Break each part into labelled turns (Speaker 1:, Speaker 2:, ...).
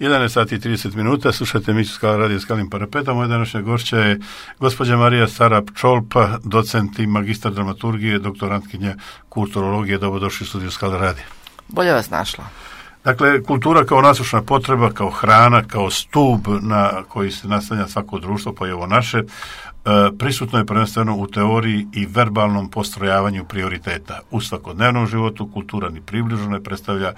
Speaker 1: 11 sati i 30 minuta, slušajte emisiju Skala radio Skalim parapetom. Moja današnja gošća je gospođa Marija Sarap-Čolpa, docent i magistar dramaturgije, doktorantkinja kulturologije. Dobrodošli u studiju Skala radija.
Speaker 2: Bolje vas našla.
Speaker 1: Dakle, kultura kao nasušna potreba, kao hrana, kao stub na koji se naslanja svako društvo, pa i ovo naše, prisutno je prvenstveno u teoriji i verbalnom postrojavanju prioriteta. U svakodnevnom životu kultura ni približno ne predstavlja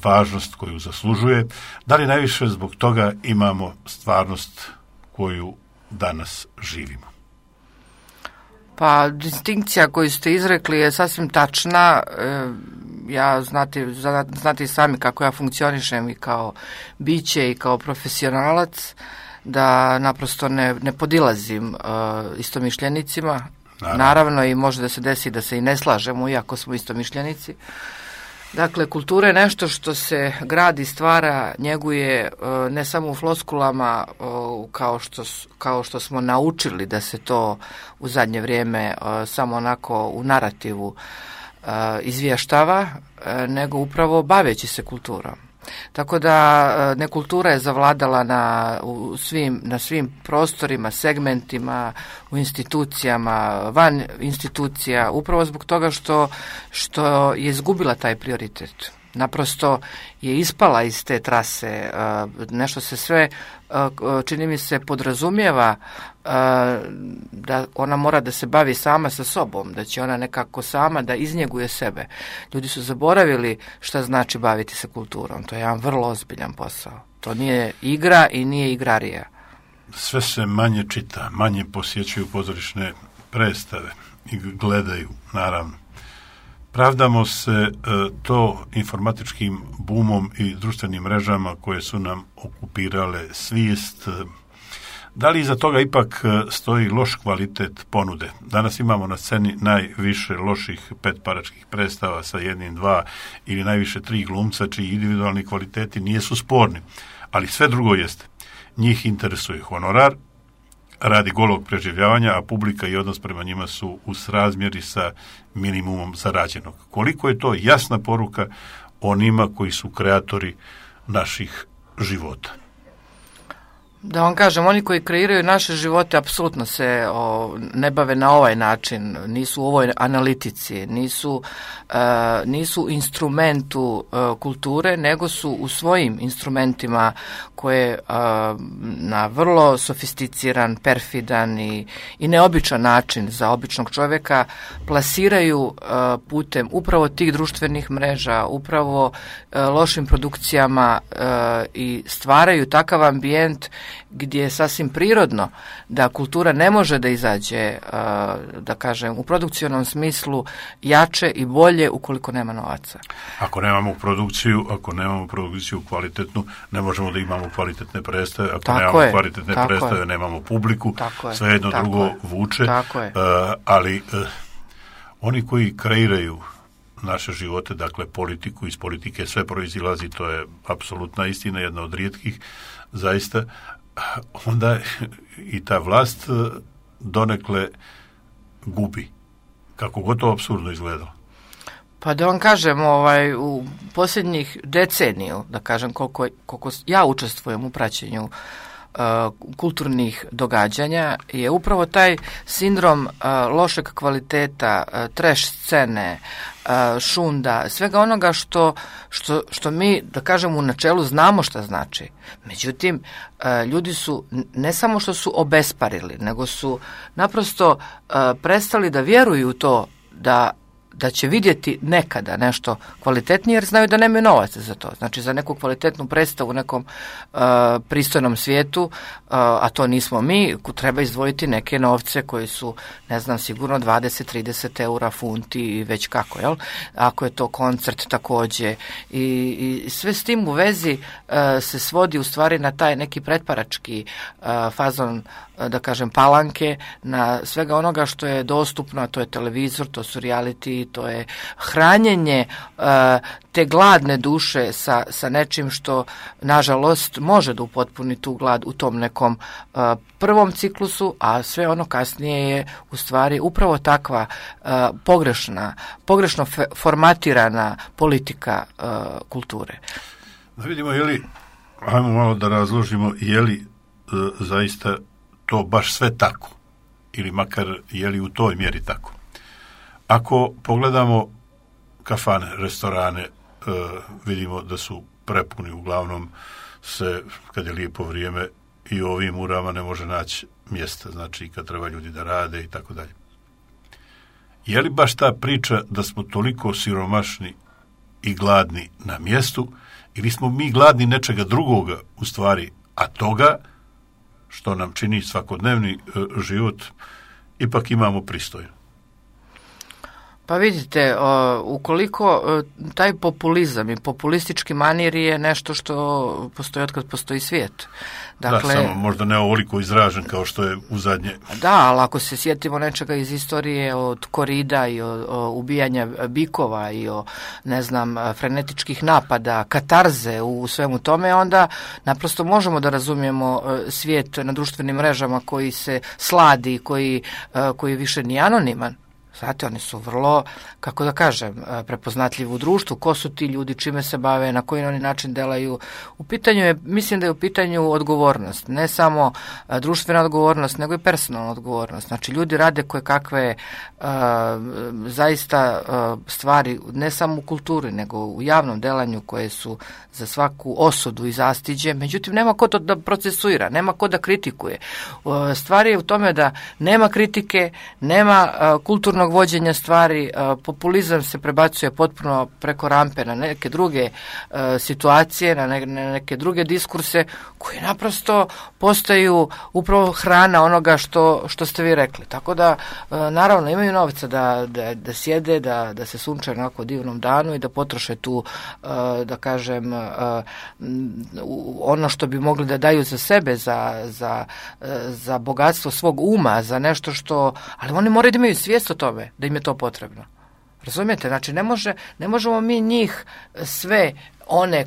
Speaker 1: važnost koju zaslužuje. Da li najviše zbog toga imamo stvarnost koju danas živimo?
Speaker 2: Pa, distinkcija koju ste izrekli je sasvim tačna. Ja znate i sami kako ja funkcionišem i kao biće i kao profesionalac, da naprosto ne podilazim istomišljenicima. Naravno, i može da se desi da se i ne slažemo, iako smo istomišljenici. Dakle, kultura je nešto što se gradi, stvara, njeguje ne samo u floskulama kao što smo naučili da se to u zadnje vrijeme samo onako u narativu izvještava, nego upravo baveći se kulturom. Tako da nekultura je zavladala na svim prostorima, segmentima, u institucijama, van institucija, upravo zbog toga što je izgubila taj prioritet. Naprosto je ispala iz te trase, nešto se sve, čini mi se, podrazumijeva da ona mora da se bavi sama sa sobom, da će ona nekako sama da iznjeguje sebe. Ljudi su zaboravili šta znači baviti se kulturom. To je jedan vrlo ozbiljan posao. To nije igra i nije igrarija.
Speaker 1: Sve se manje čita, manje posjećuju pozorišne predstave i gledaju, naravno. Pravdamo se to informatičkim bumom i društvenim mrežama koje su nam okupirale svijest. Da li iza toga ipak stoji loš kvalitet ponude? Danas imamo na sceni najviše loših petparačkih predstava sa 1, 2 ili najviše 3 glumca čiji individualni kvaliteti nisu sporni, ali sve drugo jeste. Njih interesuje honorar, radi golog preživljavanja, a publika i odnos prema njima su u srazmjeri sa minimumom zarađenog. Koliko je to jasna poruka onima koji su kreatori naših života?
Speaker 2: Da vam kažem, oni koji kreiraju naše živote apsolutno se ne bave na ovaj način, nisu u ovoj analitici, nisu instrumentu kulture, nego su u svojim instrumentima koje na vrlo sofisticiran, perfidan i neobičan način za običnog čovjeka plasiraju putem upravo tih društvenih mreža, upravo lošim produkcijama i stvaraju takav ambijent gdje je sasvim prirodno da kultura ne može da izađe, da kažem, u produkcionom smislu jače i bolje ukoliko nema novaca.
Speaker 1: Ako nemamo produkciju kvalitetnu, ne možemo da imamo kvalitetne predstave. Ako nemamo kvalitetne predstave, nemamo publiku. Sve jedno drugo vuče. Ali oni koji kreiraju naše živote, dakle politiku, iz politike sve proizilazi, to je apsolutna istina, jedna od rijetkih, zaista, onda i ta vlast donekle gubi. Kako gotovo apsurdno izgledalo.
Speaker 2: Pa da vam kažem, u posljednjih deceniju, da kažem koliko ja učestvujem u praćenju kulturnih događanja, je upravo taj sindrom lošeg kvaliteta, trash scene, šunda, svega onoga što mi, da kažem, u načelu znamo šta znači. Međutim, ljudi su ne samo što su obesparili, nego su naprosto prestali da vjeruju u to da će vidjeti nekada nešto kvalitetnije, jer znaju da nemaju novaca za to. Znači, za neku kvalitetnu predstavu u nekom pristojnom svijetu, a to nismo mi, treba izdvojiti neke novce koji su, ne znam, sigurno 20-30 eura, funti i već kako, jel? Ako je to koncert također. I sve s tim u vezi se svodi u stvari na taj neki pretparački fazon, da kažem, palanke, na svega onoga što je dostupno, a to je televizor, to su reality, to je hranjenje te gladne duše sa nečim što, nažalost, može da upotpuni tu glad u tom nekom prvom ciklusu, a sve ono kasnije je u stvari upravo takva pogrešno formatirana politika kulture.
Speaker 1: Da vidimo, je li Ajmo malo da razložimo je li zaista to baš sve tako ili makar je li u toj mjeri tako. Ako pogledamo kafane, restorane, vidimo da su prepuni, uglavnom se, kad je lijepo vrijeme, i u ovim urama ne može naći mjesta, znači kad treba ljudi da rade i tako dalje. Je li baš ta priča da smo toliko siromašni i gladni na mjestu, ili smo mi gladni nečega drugoga u stvari, a toga što nam čini svakodnevni život ipak imamo pristojno?
Speaker 2: Pa vidite, ukoliko taj populizam i populistički manir je nešto što postoji otkad postoji svijet.
Speaker 1: Dakle, da, samo možda ne ovoliko izražen kao što je u zadnje.
Speaker 2: Da, ali ako se sjetimo nečega iz istorije od korida i o ubijanja bikova i o, ne znam, frenetičkih napada, katarze u svemu tome, onda naprosto možemo da razumijemo svijet na društvenim mrežama koji se sladi, koji više nije anoniman. Znate, oni su vrlo, kako da kažem, prepoznatljivi u društvu. Ko su ti ljudi, čime se bave, na koji oni način delaju. U pitanju je, mislim da je u pitanju odgovornost. Ne samo društvena odgovornost, nego i personalna odgovornost. Znači, ljudi rade koje kakve zaista stvari, ne samo u kulturi, nego u javnom delanju koje su za svaku osudu i zastiđe. Međutim, nema ko to da procesuira, nema ko da kritikuje. Stvar je u tome da nema kritike, nema kulturnog vođenja stvari, populizam se prebacuje potpuno preko rampe na neke druge situacije, na neke druge diskurse koji naprosto postaju upravo hrana onoga što ste vi rekli. Tako da, naravno, imaju novca da sjede, da se sunčaju na ovako divnom danu i da potroše tu, da kažem, ono što bi mogli da daju za sebe, za bogatstvo svog uma, za nešto što, ali oni moraju da imaju svijest o tome da im je to potrebno. Razumijete? Znači, ne možemo mi njih sve one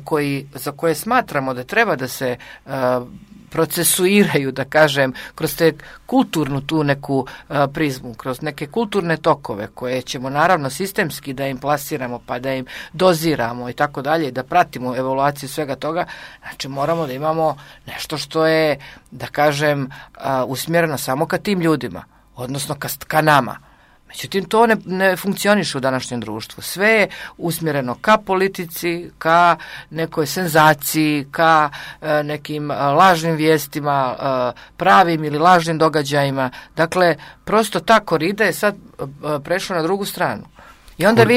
Speaker 2: za koje smatramo da treba da se procesuiraju, da kažem, kroz te kulturnu tu neku prizmu, kroz neke kulturne tokove koje ćemo naravno sistemski da im plasiramo, pa da im doziramo i tako dalje, da pratimo evaluaciju svega toga. Znači, moramo da imamo nešto što je, da kažem, usmjereno samo ka tim ljudima, odnosno ka nama. Međutim, to ne funkcioniše u današnjem društvu. Sve je usmjereno ka politici, ka nekoj senzaciji, ka nekim lažnim vijestima, pravim ili lažnim događajima. Dakle, prosto ta korida je sad prešla na drugu stranu. I onda vi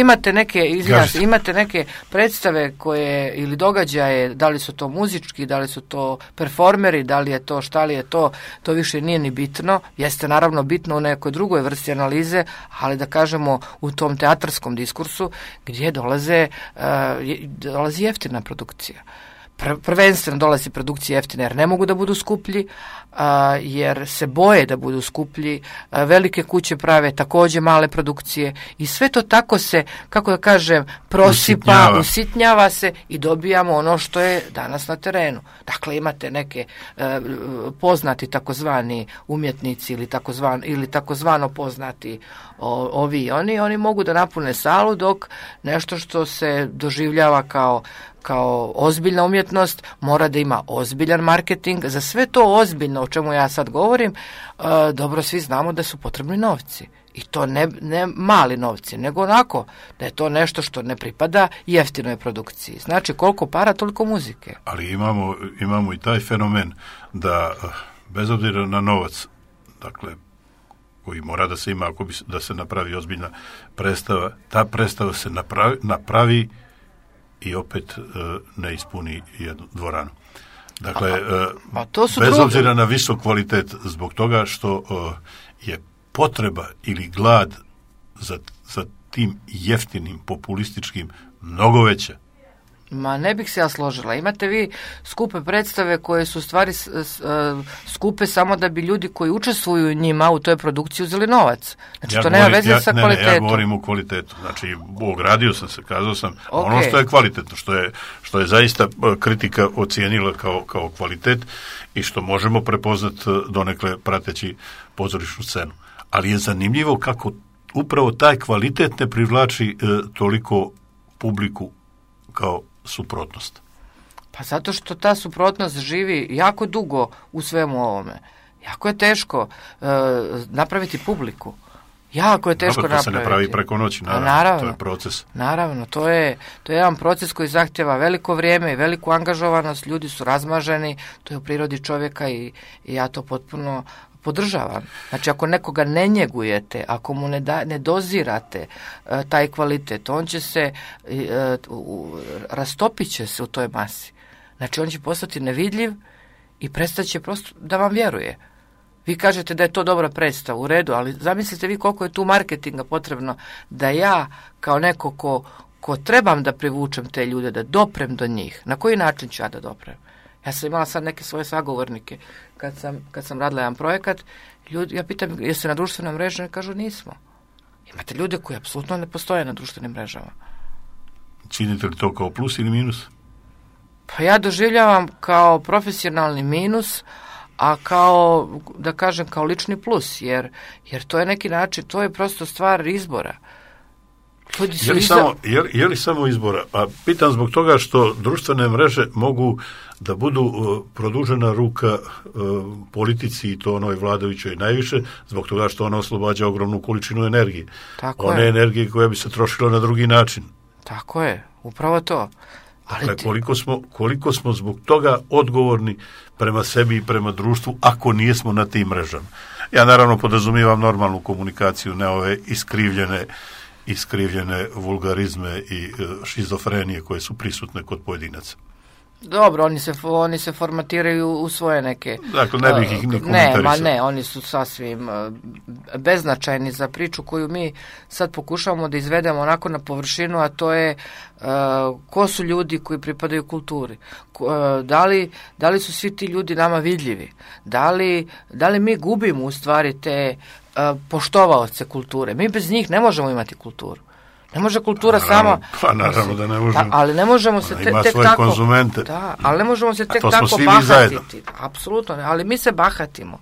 Speaker 2: imate neke predstave koje ili događaje, da li su to muzički, da li su to performeri, da li je to, šta li je to više nije ni bitno. Jeste naravno bitno u nekoj drugoj vrsti analize, ali da kažemo u tom teatarskom diskursu gdje dolazi jeftina produkcija. Prvenstveno dolazi produkcije jeftine jer ne mogu da budu skuplji, jer se boje da budu skuplji, velike kuće prave također male produkcije i sve to tako se, kako da kažem, prosipa, usitnjava se i dobijamo ono što je danas na terenu. Dakle, imate neke poznati takozvani umjetnici ili takozvano poznati ovi i oni mogu da napune salu, dok nešto što se doživljava kao ozbiljna umjetnost mora da ima ozbiljan marketing. Za sve to ozbiljno o čemu ja sad govorim, dobro svi znamo da su potrebni novci. I to ne mali novci, nego onako da je to nešto što ne pripada jeftinoj produkciji. Znači, koliko para, toliko muzike.
Speaker 1: Ali imamo i taj fenomen da, bez obzira na novac, dakle, koji mora da se ima ako bi da se napravi ozbiljna predstava, ta predstava se napravi i opet ne ispuni jednu dvoranu. Dakle, bez obzira na visok kvalitet, zbog toga što je potreba ili glad za tim jeftinim, populističkim mnogo veća.
Speaker 2: Ma ne bih se ja složila. Imate vi skupe predstave koje su stvari skupe samo da bi ljudi koji učestvuju u njima u toj produkciji uzeli novac. Znači, to nema veze sa kvalitetom.
Speaker 1: Ja govorim o kvalitetu. Znači, ogradio sam se, kazao sam ono što je kvalitetno, što je zaista kritika ocijenila kao kvalitet i što možemo prepoznati donekle prateći pozorišnu scenu. Ali je zanimljivo kako upravo taj kvalitet ne privlači toliko publiku kao suprotnost.
Speaker 2: Pa zato što ta suprotnost živi jako dugo u svemu ovome. Jako je teško napraviti publiku. Jako je teško napraviti.
Speaker 1: To se ne pravi preko noći, naravno. To je proces.
Speaker 2: Naravno, to je jedan proces koji zahtjeva veliko vrijeme i veliku angažovanost, ljudi su razmaženi, to je u prirodi čovjeka i ja to potpuno podržavam. Znači, ako nekoga ne njegujete, ako mu ne dozirate taj kvalitet, on će se, rastopit će se u toj masi. Znači, on će postati nevidljiv i prestat će prosto da vam vjeruje. Vi kažete da je to dobra predstava, u redu, ali zamislite vi koliko je tu marketinga potrebno da ja kao neko ko trebam da privučem te ljude, da doprem do njih. Na koji način ću ja da doprem? Ja sam imala sad neke svoje sagovornike kad sam radila jedan projekat, ja pitam jeste na društvenom mrežama, kažu nismo. Imate ljude koji apsolutno ne postoje na društvenim mrežama.
Speaker 1: Činite li to kao plus ili minus?
Speaker 2: Pa ja doživljavam kao profesionalni minus, a kao, da kažem, kao lični plus, jer to je neki način, to je prosto stvar izbora.
Speaker 1: Je li samo izbora? A pitam zbog toga što društvene mreže mogu da budu produžena ruka politici i to onoj vladajućoj najviše, zbog toga što ona oslobađa ogromnu količinu energije. Energije koja bi se trošila na drugi način.
Speaker 2: Tako je, upravo to.
Speaker 1: Dakle, koliko smo zbog toga odgovorni prema sebi i prema društvu ako nijesmo na tim mrežama. Ja naravno podrazumijevam normalnu komunikaciju, ne ove iskrivljene vulgarizme i šizofrenije koje su prisutne kod pojedinaca.
Speaker 2: Dobro, oni se formatiraju u svoje neke...
Speaker 1: Dakle, ne bih ih ni komentarisao.
Speaker 2: Ne, oni su sasvim beznačajni za priču koju mi sad pokušavamo da izvedemo onako na površinu, a to je ko su ljudi koji pripadaju kulturi. Da li su svi ti ljudi nama vidljivi? Da li mi gubimo u stvari te poštovaoce kulture? Mi bez njih ne možemo imati kulturu. Ne može kultura sama...
Speaker 1: Pa naravno da ne možemo.
Speaker 2: Ali ne možemo se tek tako...
Speaker 1: Ima svoje konzumente.
Speaker 2: Da, ali ne možemo se tek tako bahatiti. Apsolutno ne, ali mi se bahatimo.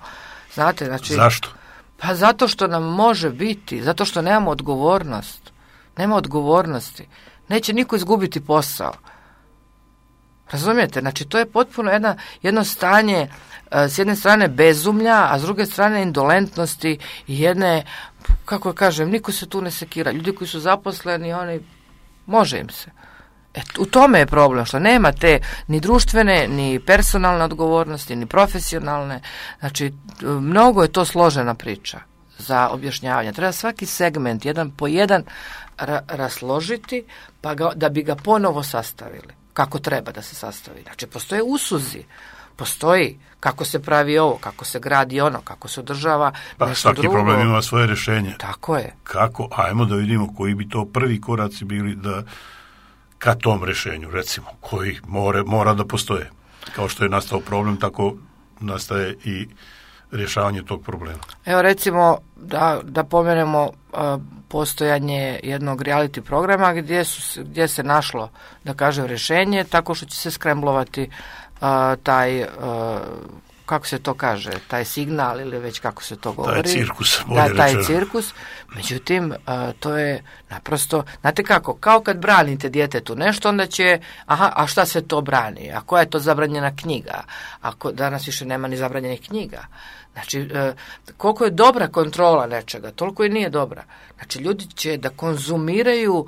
Speaker 2: Znate, znači...
Speaker 1: Zašto?
Speaker 2: Pa zato što nam može biti, zato što nemamo odgovornost. Nema odgovornosti. Neće niko izgubiti posao. Razumijete? Znači, to je potpuno jedno stanje, s jedne strane bezumlja, a s druge strane indolentnosti i jedne, kako kažem, niko se tu ne sekira. Ljudi koji su zaposleni, oni, može im se. U tome je problem, što nema te ni društvene, ni personalne odgovornosti, ni profesionalne. Znači, mnogo je to složena priča za objašnjavanje. Treba svaki segment, jedan po jedan, rasložiti, da bi ga ponovo sastavili. Kako treba da se sastavi. Znači, postoje usuzi, postoji kako se pravi ovo, kako se gradi ono, kako se održava nešto
Speaker 1: svaki
Speaker 2: drugo.
Speaker 1: Svaki problem ima svoje rješenje.
Speaker 2: Tako je.
Speaker 1: Kako? Ajmo da vidimo koji bi to prvi koraci bili da ka tom rješenju, recimo, koji mora da postoje. Kao što je nastao problem, tako nastaje i rješavanje tog problema. Evo,
Speaker 2: recimo, da pomenemo postojanje jednog reality programa gdje se našlo, da kažem, rješenje tako što će se skremblovati taj, kako se to kaže, taj signal ili već kako se to govori. Taj cirkus. Međutim, to je naprosto, znate kako, kao kad branite djetetu nešto, onda će, a šta se to brani? A koja je to zabranjena knjiga? Ako danas više nema ni zabranjenih knjiga. Znači, koliko je dobra kontrola nečega, toliko i nije dobra. Znači, ljudi će da konzumiraju,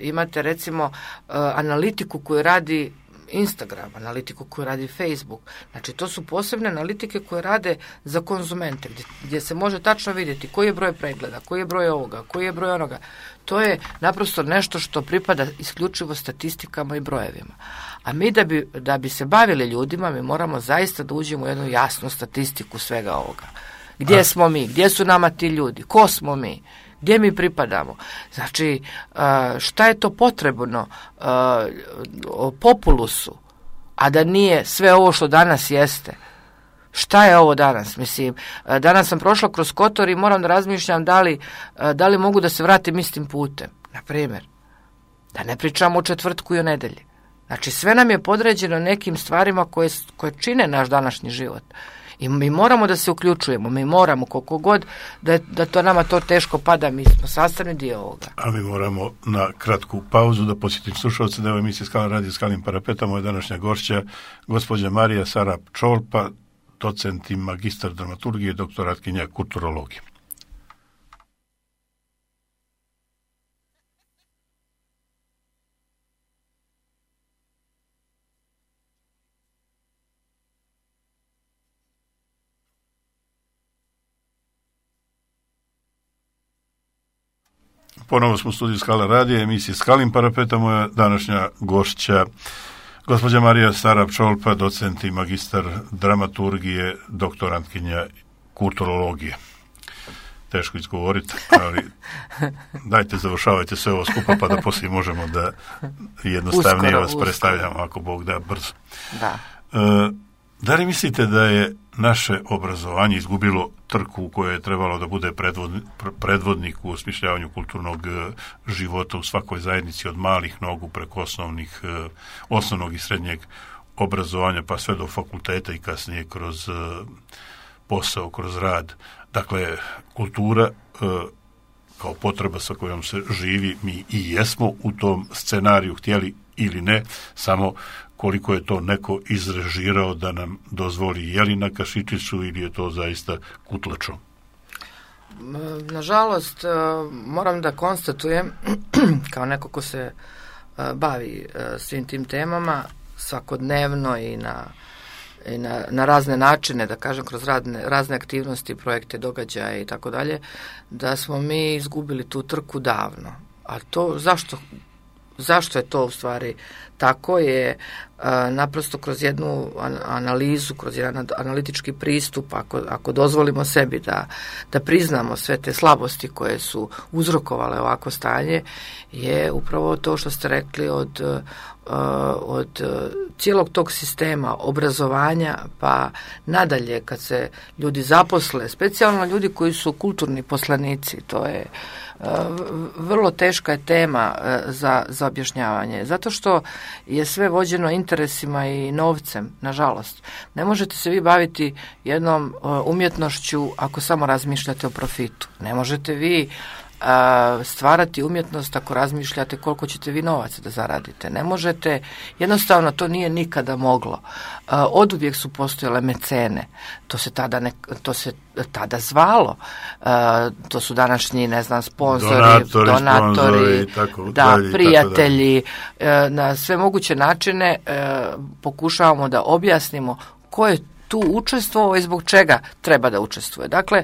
Speaker 2: imate recimo analitiku koju radi Instagram, analitiku koju radi Facebook. Znači, to su posebne analitike koje rade za konzumente, gdje se može tačno vidjeti koji je broj pregleda, koji je broj ovoga, koji je broj onoga. To je naprosto nešto što pripada isključivo statistikama i brojevima. A mi da bi se bavili ljudima, mi moramo zaista da uđemo u jednu jasnu statistiku svega ovoga. Gdje smo mi? Gdje su nama ti ljudi? Ko smo mi? Gdje mi pripadamo? Znači, šta je to potrebno populusu, a da nije sve ovo što danas jeste? Šta je ovo danas? Mislim, danas sam prošla kroz Kotor i moram da razmišljam da li mogu da se vratim istim putem. Na primjer, da ne pričamo o četvrtku i o nedelji. Znači, sve nam je podređeno nekim stvarima koje čine naš današnji život. I mi moramo da se uključujemo, mi moramo koliko god da to nama to teško pada, mi smo sastavni dio ovoga.
Speaker 1: A mi moramo na kratku pauzu da posjetim slušalce da je emisija Skalan radio Skalim parapeta. Moja današnja gošća, gospođa Marija Sarap Čolpa, docent i magistar dramaturgije, doktoratkinja kulturologije. Ponovo smo u studiju Skala radija, emisije Skalim parapeta. Moja današnja gošća, gospođa Marija Sarap Čolpa, docent i magistar dramaturgije, doktorantkinja kulturologije. Teško izgovoriti, ali dajte, završavajte sve ovo skupa pa da poslije možemo da jednostavnije vas predstavljamo, ako Bog da, brzo.
Speaker 2: Da.
Speaker 1: Da li mislite da je naše obrazovanje izgubilo trku u kojoj je trebalo da bude predvodnik u osmišljavanju kulturnog života u svakoj zajednici, od malih nogu preko osnovnog i srednjeg obrazovanja pa sve do fakulteta i kasnije kroz posao, kroz rad? Dakle, kultura kao potreba sa kojom se živi, mi i jesmo u tom scenariju, htjeli ili ne, samo koliko je to neko izrežirao da nam dozvoli, je li na kašičicu ili je to zaista kutlačo?
Speaker 2: Nažalost, moram da konstatujem, kao neko ko se bavi svim tim temama svakodnevno i na razne načine, da kažem, kroz razne aktivnosti, projekte, događaje i tako dalje, da smo mi izgubili tu trku davno. A to, zašto je to u stvari tako je naprosto kroz jednu analizu, kroz jedan analitički pristup, ako dozvolimo sebi da priznamo sve te slabosti koje su uzrokovale ovako stanje, je upravo to što ste rekli od cijelog tog sistema obrazovanja pa nadalje kad se ljudi zaposle, specijalno ljudi koji su kulturni poslanici, to je vrlo teška je tema za objašnjavanje, zato što je sve vođeno interesima i novcem, nažalost. Ne možete se vi baviti jednom umjetnošću ako samo razmišljate o profitu. Ne možete vi stvarati umjetnost ako razmišljate koliko ćete vi novaca da zaradite. Ne možete, jednostavno to nije nikada moglo. Oduvijek su postojale mecene, to se tada zvalo, to su današnji, ne znam, sponzori, donatori, prijatelji, na sve moguće načine pokušavamo da objasnimo ko je tu učestvovao i zbog čega treba da učestvuje. Dakle,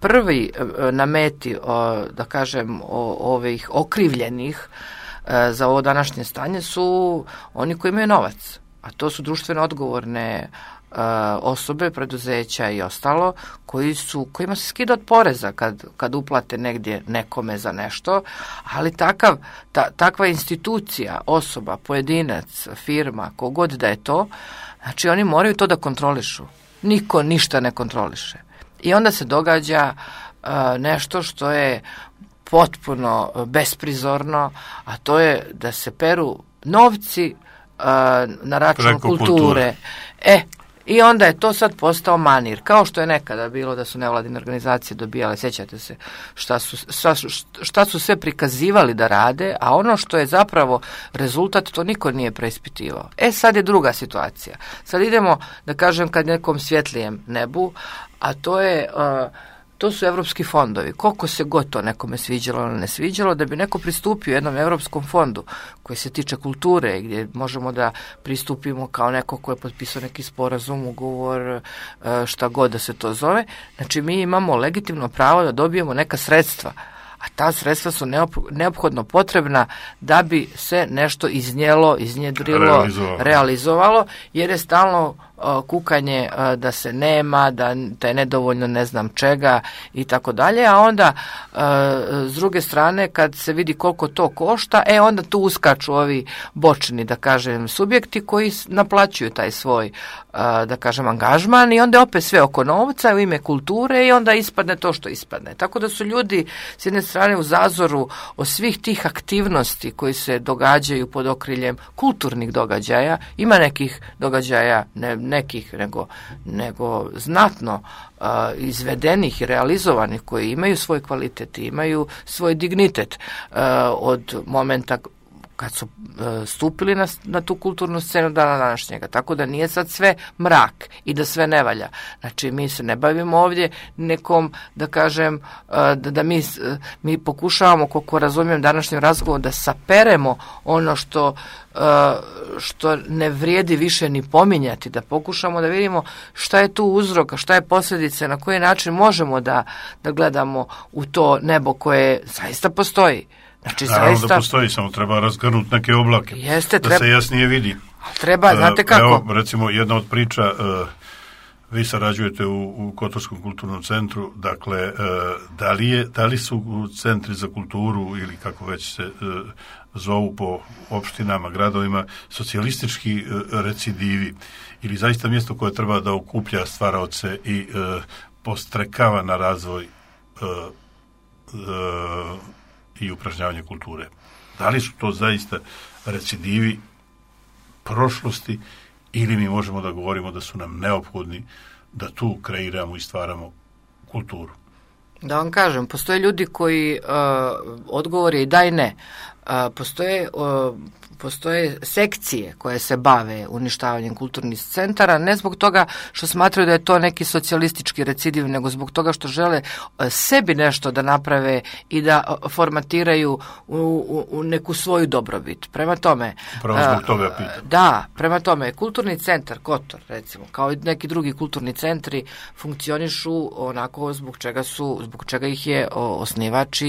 Speaker 2: prvi na meti, da kažem, ovih okrivljenih za ovo današnje stanje su oni koji imaju novac, a to su društveno odgovorne osobe, preduzeća i ostalo, kojima se skida od poreza kad uplate negdje nekome za nešto, ali takva institucija, osoba, pojedinac, firma, kogod da je to, znači oni moraju to da kontrolišu. Niko ništa ne kontroliše. I onda se događa nešto što je potpuno besprizorno, a to je da se peru novci na račun kulture. I onda je to sad postao manir, kao što je nekada bilo da su nevladine organizacije dobijale, sjećate se šta su sve prikazivali da rade, a ono što je zapravo rezultat, to niko nije preispitivao. Sad je druga situacija. Sad idemo, da kažem, kad nekom svjetlijem nebu, a to su evropski fondovi. Koliko se god to nekome sviđalo ili ne sviđalo, da bi neko pristupio jednom evropskom fondu koji se tiče kulture, gdje možemo da pristupimo kao neko ko je potpisao neki sporazum, ugovor, šta god da se to zove. Znači, mi imamo legitimno pravo da dobijemo neka sredstva, a ta sredstva su neophodno potrebna da bi se nešto iznjedrilo, realizovalo, jer je stalno kukanje da se nema, da je nedovoljno ne znam čega i tako dalje, a onda s druge strane kad se vidi koliko to košta, onda tu uskaču ovi bočni, da kažem, subjekti koji naplaćuju taj svoj, da kažem, angažman i onda opet sve oko novca u ime kulture i onda ispadne to što ispadne. Tako da su ljudi s jedne strane u zazoru od svih tih aktivnosti koji se događaju pod okriljem kulturnih događaja. Ima nekih događaja, nekih, nego znatno izvedenih i realizovanih, koji imaju svoj kvalitet, imaju svoj dignitet od momenta kad su stupili na tu kulturnu scenu dana današnjega. Tako da nije sad sve mrak i da sve ne valja. Znači, mi se ne bavimo ovdje nekom, da kažem, da mi pokušavamo, koliko razumijem današnjem razgovoru, da saperemo ono što ne vrijedi više ni pominjati, da pokušamo da vidimo šta je tu uzrok, šta je posljedice, na koji način možemo da gledamo u to nebo koje zaista postoji. Znači,
Speaker 1: naravno zaista, da postoji, samo treba razgrnuti neke oblake, da se jasnije vidi.
Speaker 2: Treba, znate kako?
Speaker 1: Evo, recimo, jedna od priča, vi sarađujete u Kotorskom kulturnom centru, dakle, da li su centri za kulturu, ili kako već se zovu po opštinama, gradovima, socijalistički recidivi, ili zaista mjesto koje treba da okuplja stvaraoce i postrekava na razvoj i upražnjavanje kulture? Da li su to zaista recidivi prošlosti, ili mi možemo da govorimo da su nam neophodni da tu kreiramo i stvaramo kulturu?
Speaker 2: Da vam kažem, postoje ljudi koji odgovor je i da i ne. Postoje sekcije koje se bave uništavanjem kulturnih centara, ne zbog toga što smatraju da je to neki socijalistički recidiv, nego zbog toga što žele sebi nešto da naprave i da formatiraju u neku svoju dobrobit. Prema tome,
Speaker 1: zbog toga pitam.
Speaker 2: Da, prema tome, kulturni centar Kotor, recimo, kao i neki drugi kulturni centri, funkcionišu onako zbog čega ih je osnivač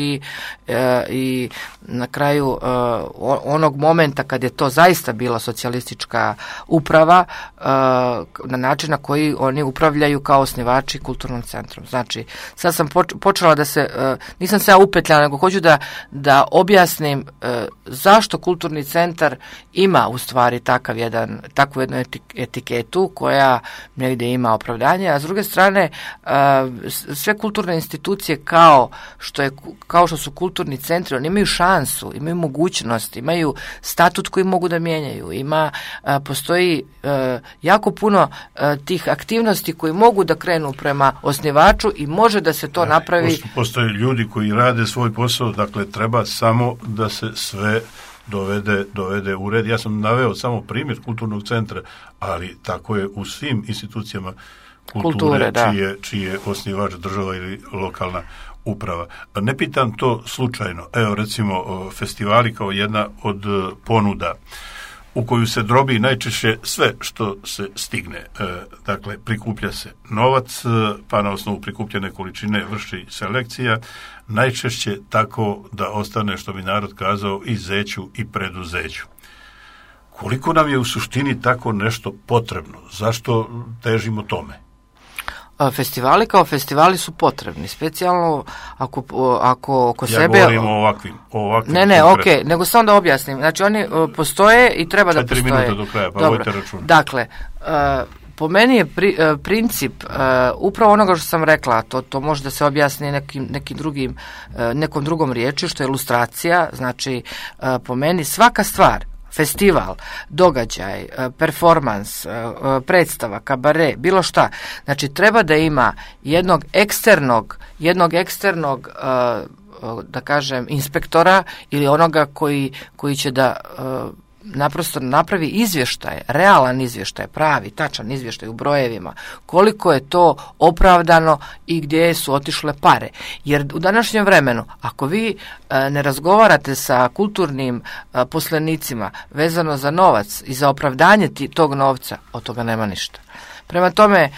Speaker 2: i na kraju onog momenta kad je to zaista bila socijalistička uprava, na način na koji oni upravljaju kao osnivači kulturnom centrom. Znači, sad sam počela nisam se ja upetljala, nego hoću da objasnim zašto kulturni centar ima u stvari takvu jednu etiketu koja negdje ima opravdanje, a s druge strane sve kulturne institucije kao što su kulturni centri, oni imaju šansu, imaju mogućnost, imaju statut koji mogu da mijenjaju. Postoji jako puno tih aktivnosti koji mogu da krenu prema osnivaču i može da se to napravi.
Speaker 1: Postoje ljudi koji rade svoj posao, dakle treba samo da se sve dovede u red. Ja sam naveo samo primjer kulturnog centra, ali tako je u svim institucijama kulture čiji je osnivač država ili lokalna uprava. Ne pitam to slučajno. Evo, recimo, festivali kao jedna od ponuda u koju se drobi najčešće sve što se stigne. Dakle, prikuplja se novac, pa na osnovu prikupljene količine vrši selekcija, najčešće tako da ostane, što bi narod kazao, i zeću i preduzeću. Koliko nam je u suštini tako nešto potrebno? Zašto težimo tome?
Speaker 2: Festivali kao festivali su potrebni, specijalno ako sebe...
Speaker 1: Ja govorim o ovakvim.
Speaker 2: Ne, okej, nego samo da objasnim. Znači, oni postoje i treba da postoje.
Speaker 1: 4 minuta do kraja, pa vojte račun.
Speaker 2: Dakle, po meni je princip upravo onoga što sam rekla, to može da se objasni nekom drugom riječju, što je ilustracija. Znači, po meni svaka stvar, festival, događaj, performans, predstava, kabare, bilo šta. Znači, treba da ima jednog eksternog, da kažem, inspektora ili onoga koji će da naprosto napravi izvještaj, realan izvještaj, pravi, tačan izvještaj u brojevima, koliko je to opravdano i gdje su otišle pare. Jer u današnjem vremenu, ako vi ne razgovarate sa kulturnim poslenicima vezano za novac i za opravdanje tog novca, od toga nema ništa. Prema tome,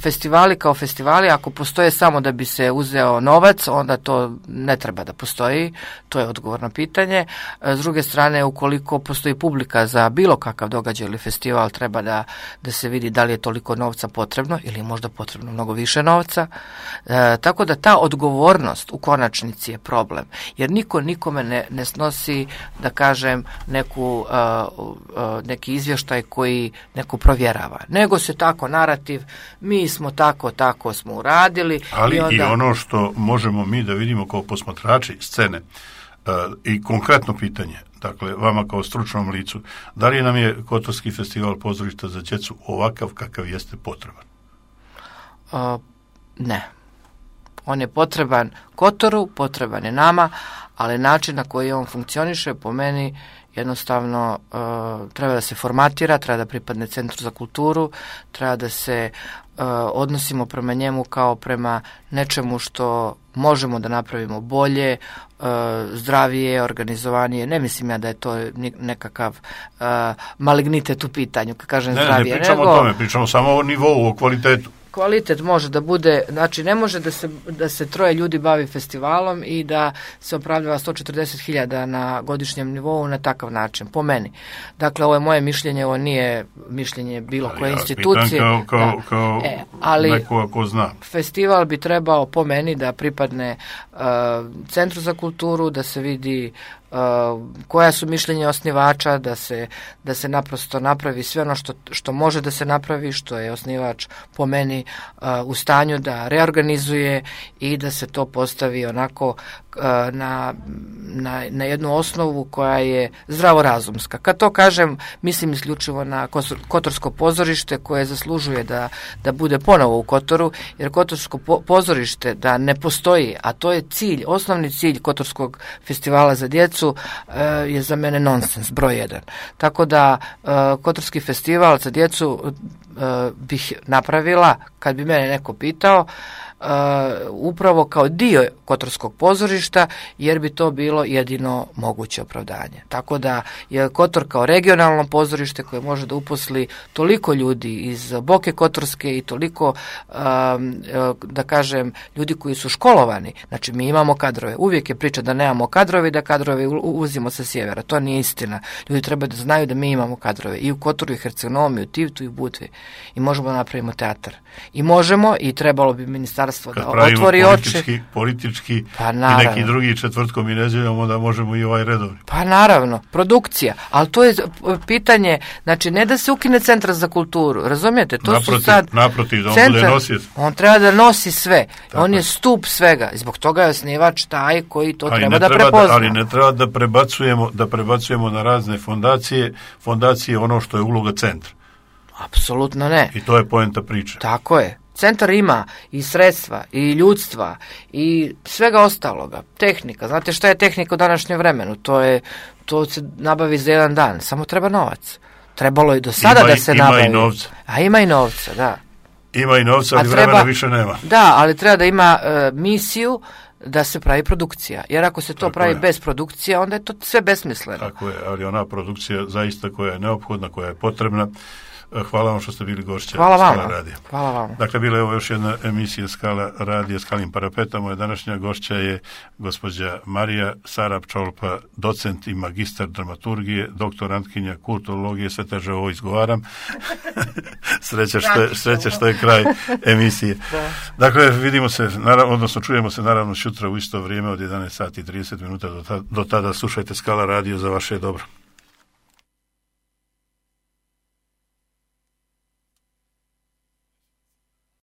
Speaker 2: festivali kao festivali, ako postoje samo da bi se uzeo novac, onda to ne treba da postoji, to je odgovor na pitanje. S druge strane, ukoliko postoji publika za bilo kakav događaj ili festival, treba da se vidi da li je toliko novca potrebno ili je možda potrebno mnogo više novca. Tako da ta odgovornost u konačnici je problem, jer niko nikome ne snosi, da kažem, neki izvještaj koji neko provjerava, nego se tako narativ, mi smo tako smo uradili.
Speaker 1: Ali i ono što možemo mi da vidimo kao posmatrači scene i konkretno pitanje, dakle, vama kao stručnom licu, da li nam je Kotorski festival pozorišta za djecu ovakav kakav jeste potreban?
Speaker 2: Ne. On je potreban Kotoru, potreban je nama, ali način na koji on funkcioniše, po meni, jednostavno treba da se formatira, treba da pripadne Centru za kulturu, treba da se odnosimo prema njemu kao prema nečemu što možemo da napravimo bolje, zdravije, organizovanije. Ne mislim ja da je to nekakav malignitet u pitanju, kad kažem zdravije.
Speaker 1: Ne pričamo o tome, pričamo samo o nivou, o kvalitetu.
Speaker 2: Kvalitet može da bude, znači ne može da se 3 ljudi bavi festivalom i da se opravdava 140.000 na godišnjem nivou na takav način, po meni. Dakle, ovo je moje mišljenje, ovo nije mišljenje bilo koje institucije.
Speaker 1: Kao
Speaker 2: ali
Speaker 1: neko ko zna.
Speaker 2: Festival bi trebao, po meni, da pripadne Centru za kulturu, da se vidi koja su mišljenja osnivača, da se naprosto napravi sve ono što može da se napravi, što je osnivač po meni u stanju da reorganizuje i da se to postavi onako na jednu osnovu koja je zdravorazumska. Kad to kažem, mislim isključivo na Kotorsko pozorište koje zaslužuje da bude ponovo u Kotoru, jer Kotorsko pozorište da ne postoji, a to je cilj, osnovni cilj Kotorskog festivala za djecu, je za mene nonsens, broj 1. Tako da Kotorski festival za djecu bih napravila, kad bi mene neko pitao, upravo kao dio Kotorskog pozorišta, jer bi to bilo jedino moguće opravdanje. Tako da je Kotor kao regionalno pozorište koje može da uposli toliko ljudi iz Boke Kotorske i toliko, da kažem, ljudi koji su školovani. Znači, mi imamo kadrove. Uvijek je priča da nemamo kadrove i da kadrove uvozimo sa sjevera. To nije istina. Ljudi treba da znaju da mi imamo kadrove i u Kotoru, i Hercegonomi, i u Tivtu, i u Budvi. I možemo da napravimo teatar. I možemo, i trebalo bi ministarstvo da otvori oči.
Speaker 1: Politički i neki drugi četvrtkom i nedjeljom, onda možemo i ovaj redovni.
Speaker 2: Pa naravno, produkcija. Ali to je pitanje, znači ne da se ukine Centar za kulturu, razumijete? To
Speaker 1: naprotiv, da on bude nosioc.
Speaker 2: On treba da nosi sve. Tako. On je stup svega. I zbog toga je osnivač taj koji to treba da prepozna.
Speaker 1: Ali ne treba da prebacujemo na razne fondacije ono što je uloga centra.
Speaker 2: Apsolutno ne.
Speaker 1: I to je poenta priče.
Speaker 2: Tako je. Centar ima i sredstva, i ljudstva, i svega ostaloga. Tehnika. Znate šta je tehnika u današnjem vremenu? To se nabavi za jedan dan. Samo treba novac. Trebalo je do sada da se nabavi.
Speaker 1: Ima i novca.
Speaker 2: A ima i novca, da.
Speaker 1: Ima i novca, ali vremena više nema.
Speaker 2: Da, ali treba da ima misiju da se pravi produkcija. Jer ako se to pravi bez produkcije, onda je to sve besmisleno.
Speaker 1: Tako je, ali ona produkcija zaista koja je neophodna, koja je potrebna. Hvala vam što ste bili gošća Skala radija.
Speaker 2: Hvala vam.
Speaker 1: Dakle, bila je ovo još jedna emisija Skala radija Skalin parapeta. Moja današnja gošća je gospođa Marija Sarab-Čolpa, docent i magistar dramaturgije, doktorantkinja kulturologije, sve teže ovo izgovaram. Sreća što je kraj emisije. Da. Dakle, vidimo se, odnosno čujemo se naravno sutra u isto vrijeme od 11 sati i 30 minuta. Do tada slušajte Skala radio, za vaše dobro.